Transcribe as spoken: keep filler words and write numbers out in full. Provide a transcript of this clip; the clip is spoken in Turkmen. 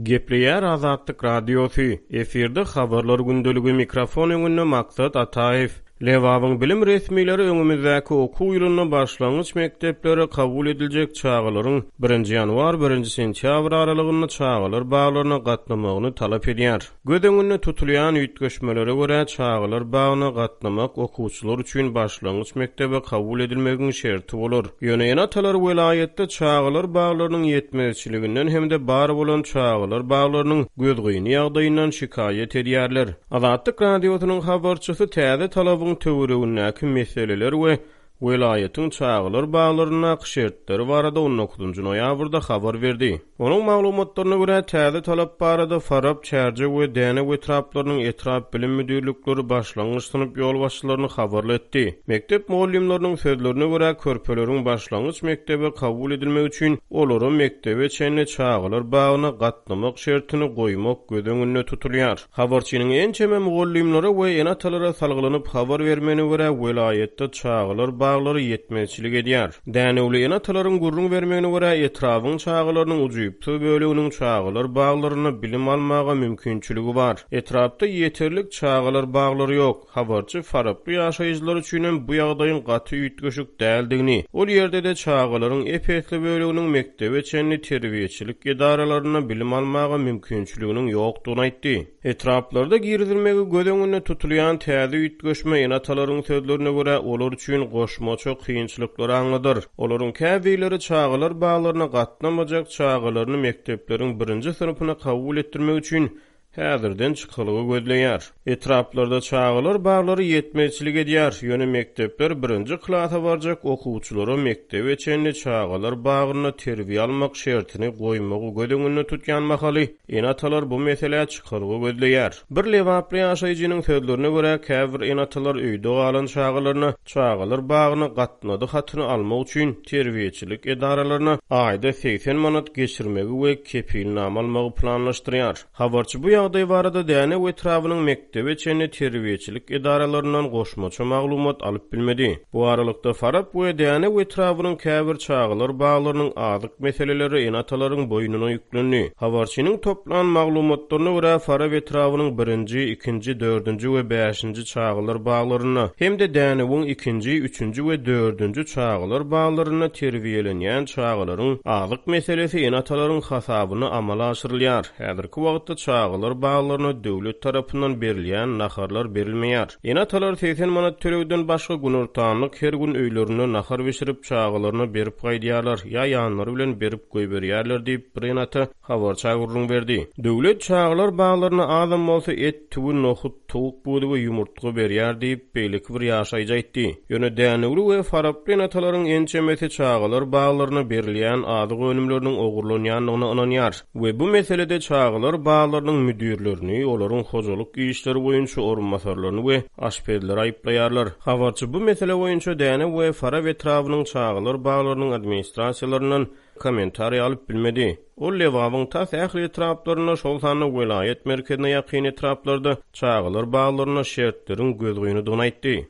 Gepleýär Azatlyk Radiosy, efirde Habarlar gündeligi, mikrofon öňünde Maksat Ataýew. Lebabyň bilim resmileri öňümizdäki okuw ýylynda başlangyç mekdeplere kabul ediljek çagalaryň birinji ýanwar-birinji sentýabr aralygynda çagalar baglaryna gatnamagyny talap edýär. Göz öňünde tutulýan üýtgeşmelere görä, çagalar bagyna gatnamak okuwçylar üçin başlangyç mekdebe kabul edilmegiň şerti bolar. Ýöne ene-atalar welaýatda çagalar baglarynyň ýetmezçiliginden hem-de bar bolan çagalar baglarynyň gözgyny ýagdaýyndan şikaýat edýärler. Azatlyk Radiosynyň habarçysy täze talabyň töweregindäki meseleler we welaýatyň çagalar baglaryndaky şertleri barada on dokuzynjy noýabrda habar berdi. Onuň maglumatlaryna görä, täze talap barada Farap, Çärjew we Dänew etraplarynyň etrap bilim müdirlikleri başlangyç synp ýolbaşçylaryny habarly etdi. Mekdep mugallymlarynyň sözlerine görä, körpeleriň başlangyç mekdebe kabul edilmegi üçin olara mekdebe çenli çagalar bagyna gatnamak şertini goýmak göz öňünde tutulýar. Habarçynyň ençeme mugallymlara we ene-atalara salgylanyp habar bermegine görä, welaýatda çagalar baglary ýetmezçilik edýär. Dänewli ene-atalaryň gürrüň bermegine görä, etrabyň çagalarynyň ujypsyz böleginiň çagalar baglarynda bilim almaga mümkinçiligi bar. Etrapda ýeterlik çagalar baglary ýok. Habarçy Faraply ýaşaýjylar üçinem bu ýagdaýyň gaty üýtgeşik däldigini, ol ýerde-de çagalaryň ep-esli böleginiň mekdebe çenli terbiýeçilik edaralarynda bilim almaga mümkinçiliginiň ýokdugyny aýtdy. Etraplarda girizilmegi göz öňünde tutulýan täze üýtgeşme ene-atalaryň sözlerine görä, olar üçin goşmaça kynçylyklary aňladar. Olaryň käbirleri çagalar baglaryna gatnamajak çagalaryny mekdepleriň birinji synpyna kabul etdirmek üçin häzirden çykalga gözleýär. Etraplarda çagalar baglary ýetmezçilik edýär, ýöne mekdepler birinji klasa barjak okuwçylara mekdebe çenli çagalar bagynda terbiýe almak şertini goýmagy göz öňünde tutýan mahaly ene-atalar bu meselä çykalga gözleýär. Bir lebaply ýaşaýjynyň sözlerine görä, käbir ene-atalar öýde galan çagalaryna çagalar bagyna gatnady hatyny almak üçin terbiýeçilik edaralaryna aýda segsen manat geçirmegi we kepilnama almagy planlaşdyrýar. Habarçy bu ýagdaý barada Dänew etrabynyň mekdebe çenli terbiýeçilik edaralaryndan goşmaça maglumat alyp bilmedi. Bu aralykda Farap we Dänew etrabynyň käbir çagalar baglarynyň azyk meseleleri ene-atalaryň boýnuna ýüklendi. Habarçynyň toplan maglumatlaryna görä, Farap etrabynyň birinji, ikinji, dördünji we bäşinji çagalar baglarynda hem-de Dänewiň ikinji, üçünji we dördünji çagalar baglarynda terbiýelenýän çagalaryň azyk meselesi ene-atalaryň hasabyna amala aşyrylýar. Häzirki wagtda çagalar baglaryna döwlet tarapyndan berilýän naharlar berilmeýär. Ene-atalar segsen manat tölegden başga günortanlyk her gün öýlerinde nahar bişirip çagalaryna berip gaýdýarlar ýa ýanlary bilen berip goýberýärler diýip bir ene-ata habarça gürrüň berdi. Döwlet çagalar baglaryna azam bolsa et, tüwi, nohut, towuk budy we ýumurtga berýär diýip beýleki bir ýaşaýjy aýtdy. Ýöne Dänewli we Faraply ene-atalaryň ençemesi çagalar baglaryna berilýän azyk önümleriniň ogurlanýandygyna ynanýar we bu meselede çagalar baglarynyň müdirlerini, olaryň hojalyk işleri boýunça orunbasarlaryny we aşpezleri aýyplaýarlar. Habarçy bu mesele boýunça Dänew we Farap etrabynyň çagalar baglarynyň administrasiýalaryndan kommentariý alyp bilmedi. Ol Lebabyň tas ähli etraplarynda, şol sanda welaýat merkezine ýakyn etraplarda çagalar baglaryna şertleriň gözgynydygyny aýtdy.